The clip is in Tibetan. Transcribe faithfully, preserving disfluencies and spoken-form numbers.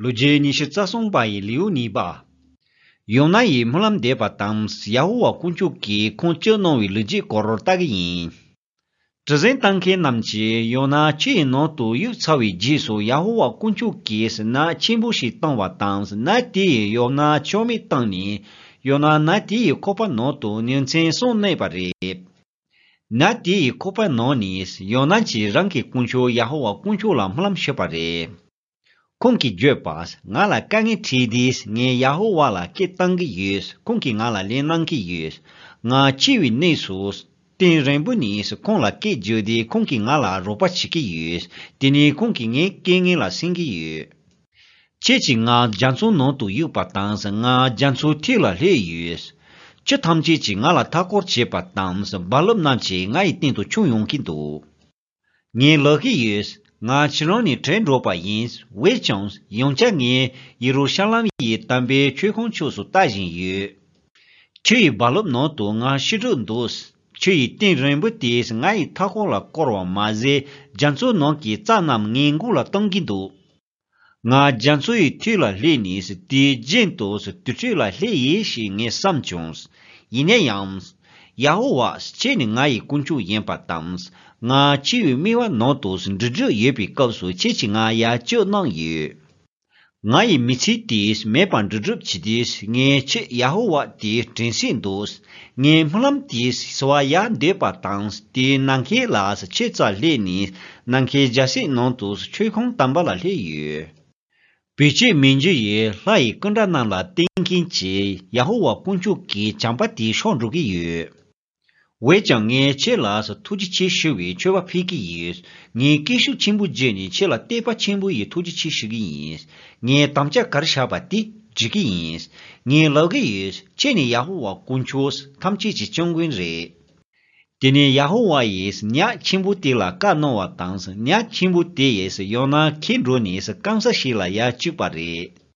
ལོ་རྒྱུས་ཉི་ཤུ་རྩ་གསུམ་པ་ཡི་ལེའུ་གཉིས་པ། ཡོ་ན་ཡིས་སྨོན་ལམ་འདེབས་པ་དང་ཡ་ཧོ་ཝཱ་དཀོན་མཆོག་གིས་ཁོང་སྐྱོབ་གནང་བའི་ལོ་རྒྱུས་སྐོར་ལྟ་གི་ཡིན། གྲུ་གཟིངས་བཏང་མཁན་རྣམས་ཀྱིས་ཡོ་ན་ཆུ་ཡི་ནང་དུ་གཡུགས་ཚར་བའི་རྗེས་སུ་ཡ་ཧོ་ཝཱ་དཀོན་མཆོག་གིས་ནད་ཆེན་པོ་ཞིག་བཏང་བ་དང་ནད་དེ་ཡིས་ཡོ་ན་ཆོ་མེད་བཏང་ནས་ཡོ་ན་ནད་དེ་ཡི་ཁོག་པ་ནང་དུ་ཉིན་མཚན་གསུམ་གནས་པ་རེད། ནད་དེ་ཡི་ཁོག་པའི་ནང་ནས་ཡོ་ན་གྱིས་རང་གི་དཀོན་མཆོག་ཡ་ཧོ་ཝཱ་དཀོན་མཆོག་ལ་སྨོན་ལམ་ཞུས་པ་རེད། ཁོང་གིས་བརྗོད་པ། ང་ལ་དཀའ་ངལ་འཕྲད་དུས་ངས་ཡ་ཧོ་ཝཱ་ལ་སྐད་བཏང་གི་ཡོད། ཁོང་གིས་ང་ལ་ལན་གནང་གི་ཡོད། ང་འཆི་བའི་གནས་སུ་གཏིང་རིང་པོ་ནས་ཁོང་ལ་སྐད་བརྗོད་དུས་ཁོང་གིས་ང་ལ་རོགས་པ་བྱེད་ཀྱི་ཡོད། དེ་ནས་ཁོང་གིས་ངའི་སྐད་ངན་ལ་གསན་གྱི་ཡོད། ཁྱེད་ཀྱིས་ང་རྒྱ་མཚོའི་ནང་དུ་གཡུགས་པ་དང་ང་རྒྱ་མཚོའི་མཐིལ་ལ་སླེབས་ཡོད། ཆུ་ཐམས་ཅད་ཀྱིས་ང་ལ་མཐའ་སྐོར་བྱས་པ་དང་རྦ་རླབས་རྣམས་ཀྱིས་ང་ཡི་སྟེང་དུ་མཆོངས་ཡོང་གི་འདུག་ངས་ལབ་ཀྱི་ཡོད། ང་ཕྱི་རོལ་ནས་བྲོས་འགྲོ་བ་ཡིན། འོན་ཀྱང་ཡང་བསྐྱར་ངས་ཡེ་རུ་ཤ་ལམ་ཡི་དམ་པའི་མཆོད་ཁང་ཕྱོགས་སུ་ལྟ་བཞིན་ཡོད། ཆུ་ཡི་རྦ་རླབས་ནང་དུ་ང་ཤི་འགྲོ་འདུག་ཆུ་ཡི་གཏིང་རིང་པོ་དེས་ང་ཡི་མཐའ་འཁོར་ལ་བསྐོར་བ་མ་ཟད་རྒྱ་མཚོའི་ནང་གི་རྩྭ་རྣམས་ངའི་མགོ་ལ་གཏོང་གིན་འདུག་ང་རྒྱ་མཚོ་ཡི་མཐིལ་ལ་སླེབས་ནས་དེའི་རྒྱན་དུ་དུར་ཁྲོད་ལ་སླེབས་ཡིན་ཞེས་ངས་བསམ་བྱུང་། ཡིན་ན་ཡང་། ཡ་ཧོ་ཝཱ་ཁྱེད་ནི་ང་ཡི་དཀོན་མཆོག་ཡིན་པ་དང་། ང་འཆི་བའི་དམྱལ་བ་ནང་དུ་འགྲོ་འདོད་ཡོད་པའི་སྐབས་སུ་ཁྱེད་ཀྱིས་ང་ཡར་སྐྱོབ་གནང་ཡོད། ང་ཡི་མི་ཚེ་དེ་མེད་པར་འགྲོ་སྒྲུབ་བྱེད་དུས་ངས་ཁྱེད་ཡ་ཧོ་ཝཱ་དེ་དྲན་སྲིད་འདུག་ངའི་སྨོན་ལམ་དེ་གསོལ་བ་ཡར་འདེབས་པ་དང་དེའི་ནམ་མཁའི་ལ་ཁྱེད་རྩར་སླེབས་ནས་ནམ་མཁའི་རྒྱལ་སྲིད་ནང་དུ་མཆོད་ཁང་དམ་པ་ལ་སླེབས་ཡོད། བེད་སྤྱོད་མི་འགྱུར་བའི་ལྷ་ཡི་སྐུ་འདྲ་རྣམས་ལ་བརྟེན་མཁན་གྱི་ཡ་ཧོ་ཝཱ་དཀོན་མཆོག་གི་བྱམས་པ་དེ་ཤོར་འགྲོ་གི་ཡོད། འོན་ཀྱང་ངས་ཁྱེད་ལ་ཐུགས་རྗེ་ཆེ་ཞུ་བའི་མཆོད་པ་ཕུལ་གྱི་ཡོད། ངས་སྐད་ཤུགས་ཆེན་པོ་བརྗོད་ནས་ཁྱེད་ལ་བསྟོད་པ་ཆེན་པོ་ཡི་ཐུགས་རྗེ་ཆེ་ཞུ་གི་ཡིན། ངས་དམ་བཅའ་གར་བཞག་པ་དེ་འགྲིག་གི་ཡིན། ངས་ལབ་གི་ཡོད། ཁྱེད་ནི་ཡ་ཧོ་ཝཱ་དཀོན་མཆོག་ཐམས་ཅད་ཀྱི་སྐྱབས་མགོན་རེད། དེ་ནས་ཡ་ཧོ་ཝཱ་ཡིས་ཉ་ཆེན་པོ་དེ་ལ་བཀའ་གནང་བ་དང་ཉ་ཆེན་པོ་དེ་ཡིས་ཡོ་ན་འཁྱེར་འགྲོ་ནས་སྐམ་ས་ཞིག་ལ་ཡར་བཅུག་པ་རེད།